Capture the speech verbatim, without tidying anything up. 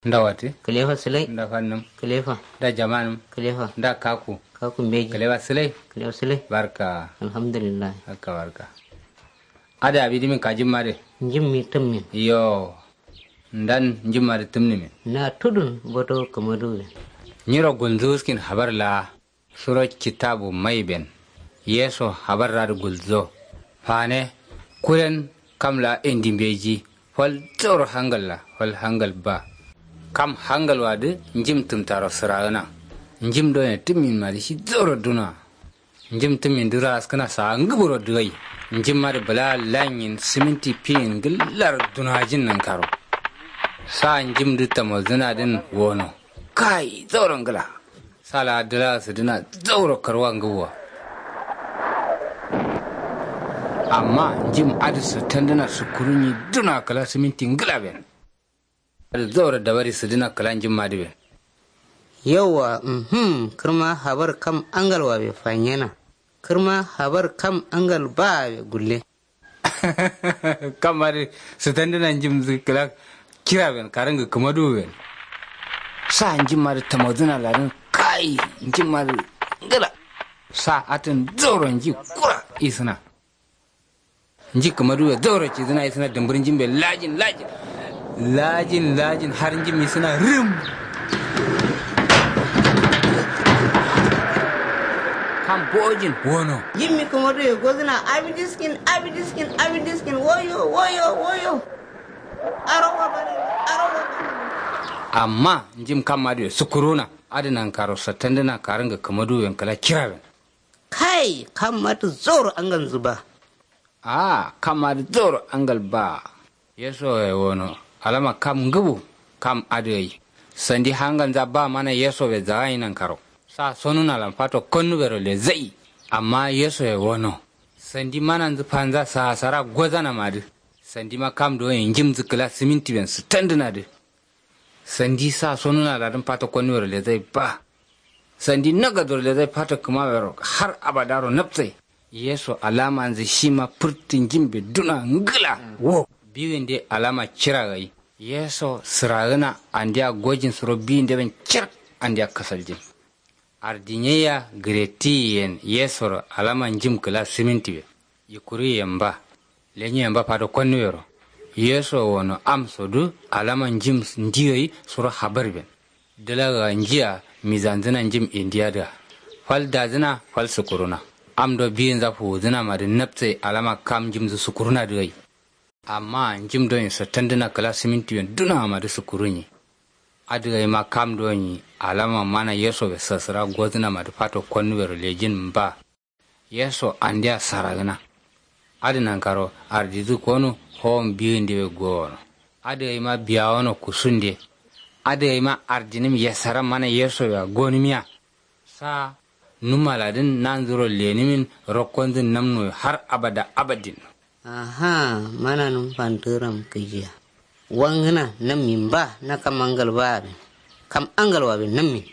Nda wati? Kǝlefa sǝlai. Nda fannǝm? Kǝlefa. Nda jamanǝm? Kǝlefa. Nda kaku? Kaku mbeji. Kǝlefa sǝlai. Kǝlefa sǝlai. Barka. Alhamdulillahi. Barka barka. Adǝ abi dǝmin kajimma dǝ? Njimmi tǝmmin. Yo. Ndan njimma dǝ tǝmnǝmin? Na tudun boto kǝmaduwuyen. Nyiro gulnzǝ wuskin habar laa. Suro kitabu maiben. Yeso habarradǝ gulzo. Fane. Kuren. Kam laa indi mbeji. Fal zauro hangal laa fal hangal ba. Kam hangal wadǝ. Njim tǝmtaro sǝragǝna. Njim done tǝmmin madǝ shi zauro duna. Njim tǝmmin dǝ raskǝna saa ngǝburo dǝgai. Njim madǝ bǝla lanyin sǝminti fiyin ngǝllar dunajin nankaro. Sa njim dǝ tamozǝna dǝn wono. Kai zauro ngǝla. Sa laa dǝla sǝdǝna zauro karwa ngǝbwa. Amma njim adǝ sǝttandǝna sǝkkurunyi duna kǝla sǝminti ngǝla ben. Adǝ zauro dabari sǝdǝna kǝla njim adǝ ben. Yauwa. Mhm. Kǝrma habar kam angal wabe fanyena. Kǝrma habar kam angal baabe gulle. Kam adǝ sǝtandǝna njim dǝ kǝla kira ben karǝngǝ kǝmaduwu ben. Sa njim adǝ tamodǝna ladǝn. Kai. Njim adǝ ngǝla. Sa atǝn zauro nji kura isǝna. Nji kǝmaduwu be zauro cidǝna isǝna dǝmbǝr njim be lajin lajin. Lajin lajin har njim isǝna rǝm. Kam bojin wono. Njimmi kǝmaduwu be gozǝna abidiskin abidiskin abidiskin woyo woyo woyo. Arowa bane. Arowa bane. Amma njim kam adǝ be sǝkkuruna. Adǝ nankaro sattandǝna karǝngǝ kǝmaduwu ben kǝla kira ben. Kai kam adǝ zauro angalnzǝ ba. Aa kam adǝ zauro angal ba. Yesoye wono. Alama kam ngǝbu. Kam adǝ gai. Sandi hangalnza ba mana yesobe zagai nankaro. Sa sonunalan fato konnubero lezai. Amma yesoye wono. Sandi mananzǝ fanza sahasara gozanamadǝ. Sandima kam doye njimnzǝ kǝla sǝmintiben sǝtandǝnadǝ. Sandi sa sonuna ladǝn fato konnuyero lezai ba. Sandi nagadoro lezai fato kǝmawero har abadaro napsai. Yeso alamanzǝ shima fǝrtǝ njimbe duna ngǝla. Wo. Biwinde alama cira gai. Yeso sǝragǝna andeya gojin suro biwinde ben cir. Andeya kasaljin. Ardinyeya gǝretiyen yesoro alama njim kǝla sǝmintibe. Yikkuruyen ba. Lenyeyen ba fato konnuyero. Yeso wono amsodǝ alama njim ndiyoyi suro habarben. Dǝlaga njiya mizanzǝna njim indiyadǝa. Fal dazǝna fal sǝkkuruna. Amdo biyinza fuwuzǝnamadǝ napsai alama kam njimdǝ sǝkkurunadǝ gai. Amma njim done sattandǝna kǝla sǝmintiyen dunamadǝ sǝkkurunyi. Adǝ gaima kam done alama mana yesobe sasǝra gozǝnamadǝ fato konnubero lejin ba. Yeso andeya saragǝna. Adǝ nankaro ardidǝ konu howon biyindewe gowono. Adǝ gaima biyawono kusunde. Adǝ gaima ardinǝm yesara mana yesoyea gonǝmiya. Sa numaladǝn nanzuro lenǝmin rokkonzǝn namnoyo har abada abadin. Aha. Mananǝm fantǝram kǝjiya. Wangǝna nammin ba na kam angal ba aben. Kam angal waben nammin.